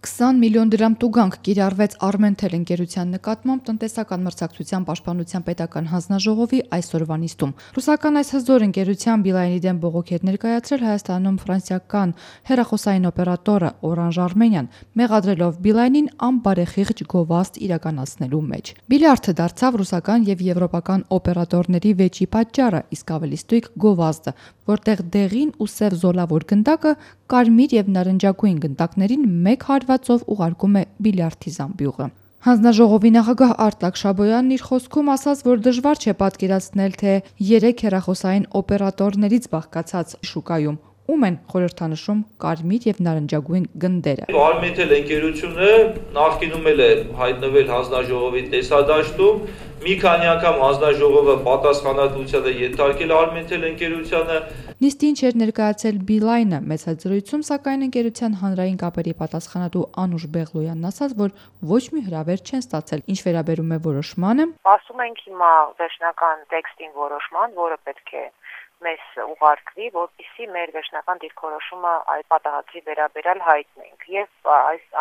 20 միլիոն դրամ տուգանք կիրառվեց Armentel ընկերության նկատմամբ տնտեսական մրցակցության պաշտպանության պետական հանձնաժողովի այսօրվա նիստում։ Ռուսական այս հզոր ընկերության Beeline-ի դեմ բողոք էր ներկայացրել Հայաստանում ֆրանսիական հեռախոսային օպերատորը Orange Armenian, մեղադրելով Beeline-ին անբարեխիղճ գովազդ իրականացնելու մեջ։ Բիլիարդը դարձավ ռուսական եւ եվրոպական օպերատորների վեճի պատճառը, իսկ ավելի ստույգ գովազդը, որտեղ դեղին ու սև զոլավոր գնդակը կարմիր եւ նարնջագույն գնդակներին մեկ հարվածով ուղարկում է բիլիարդի զամբյուղը։ Հանձնաժողովի նախագահ Արտակ Շաբոյանն իր խոսքում ասաց, որ դժվար չէ պատկերացնել, թե 3 հեռախոսային օպերատորներից բաղկացած շուկայում ում են խորհրդանշում կարմիր եւ նարնջագույն գնդերը։ Armentel ընկերությունը նախկինում էլ է հայտնվել հանձնաժողովի տեսադաշտում, մի քանի անգամ հանձնաժողովը պատասխանատվությանը ենթարկել Armentel ընկերությանը։ Նիստին չէր ներկայացել Beeline-ը մեծ հզորությունում, սակայն ընկերության հանրային կապերի պատասխանատու Անուշ Բեղլոյանն ասաց, որ ոչ մի հրավեր չեն ստացել, ինչ վերաբերում է որոշմանը։ Ասում ենք հիմա վերջնական տեքստին որոշման, որը պետք է մեզ ուղարկվի, որպեսզի մեր վերջնական դիրքորոշումը այդ պատահածի վերաբերյալ հայտնենք եւ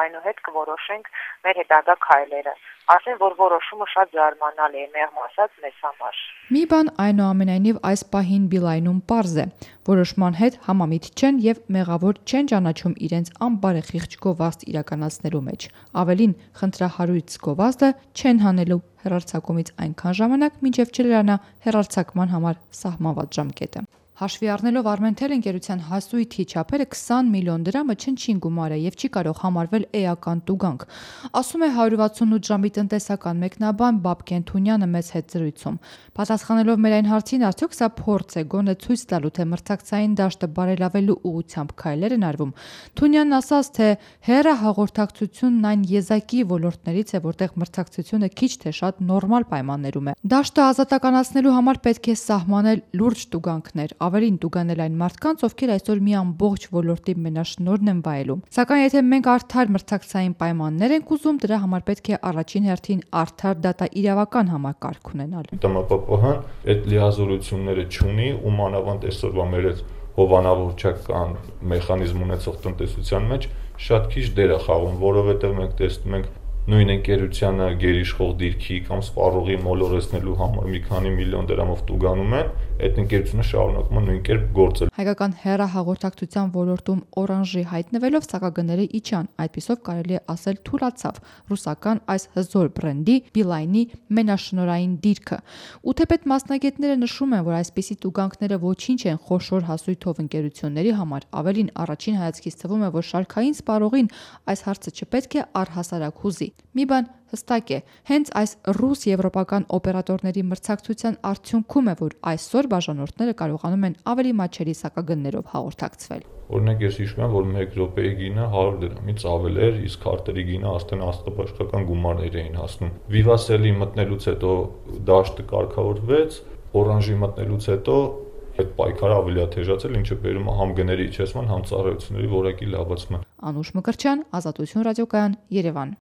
այնուհետ կորոշենք մեր հետագա քայլերը։ Ասեն, որ որոշումը շատ զարմանալի է, մեղմ ասած մեզ համար։ Մի բան այնուամենայնիվ այս պահին Beeline-ում պարզ է. որոշման հետ համամիտ չեն եւ մեղավոր չեն ճանաչում իրենց անբարեխիղճ գովազդ իրականացնելու մեջ։ Ավելին, խնդրահարույց գովազդը չեն հանելու հեռարձակումից այնքան ժամանակ, մինչև չլրանա հեռարձակման համար սահմանված ժամկետը։ Հաշվի առնելով Armentel ընկերության հասույթի չափերը 20 միլիոն դրամը չնչին գումար է եւ չի կարող համարվել էական տուգանք, ասում է 168 ժամի տնտեսական մեկնաբան Բաբկեն Թունյանը մեծ հետ զրույցում։ Պատասխանելով մեր այն հարցին, արդյոք սա փորձ է գոնե ցույց տալու, թե մրցակցային դաշտը բարելավելու ուղղությամբ քայլեր են արվում, Թունյանն ասաց, թե հեռահաղորդակցությունն այն եզակի ոլորտներից է, որտեղ մրցակցությունը քիչ թե շատ նորմալ պայմաններում է։ Դաշտը ազատականացնելու համար պետք է սահմանել լուրջ տուգանքներ, ավելին տուգանել այն մարդկանց, ովքեր այսօր մի ամբողջ ոլորտի մենաշնորհն են վայելում։ Սակայն եթե մենք արդար մրցակցային պայմաններ ենք ուզում, դրա համար պետք է առաջին հերթին արդար դատաիրավական համակարգ ունենալ։ ՏՄՊՊՀ-ն այդ լիազորությունները չունի ու մանավանդ այսօրվա մեր այդ հովանավորչական մեխանիզմ ունեցող տնտեսության մեջ շատ քիչ դեր է խաղում, որովհետև մենք տեսնում ենք նույն ընկերությանը գերիշխող դիրքի կամ սպառողի մոլորեցնելու համար մի քանի միլիոն դրամով տուգանում են, այդ ընկերությունը շարունակում է նույն կերպ գործել։ Հայկական հեռահաղորդակցության ոլորտում Orange-ի հայտնվելով սակագների իջան, այդպիսով կարելի է ասել թուլացավ ռուսական այս հզոր բրենդի Beeline-ի մենաշնորհային դիրքը։ Ու թեպետ մասնագետները նշում են, որ այսպիսի տուգանքները ոչինչ են խոշոր հասույթով ընկերությունների համար, ավելին առաջին հայացքից թվում է, որ շարքային սպառողին այս հարցը չպետք է առհասարակ հուզի։ Մի բան հստակ է, հենց այս ռուս-եվրոպական օպերատորների մրցակցության արդյունքում է, որ այսօր բաժանորդները կարողանում են ավելի մատչելի սակագներով հաղորդակցվել։ Օրինակ ես հիշում եմ, որ 1 րոպեի գինը 100 դրամից ավել էր, իսկ քարտերի գինը արդեն աստղաբաշխական գումարներ էին հասնում։ Vivacelli մտնելուց հետո դաշտը կարգավորվեց, Orange-ի մտնելուց հետո այդ պայքարը ավելի է թեժացել, ինչը բերում է համ գների իջեցման, համ ծառայությունների որակի լավացման։ Անուշ Մկրտչյան, Ազատություն ռադիոկայան, Երևան։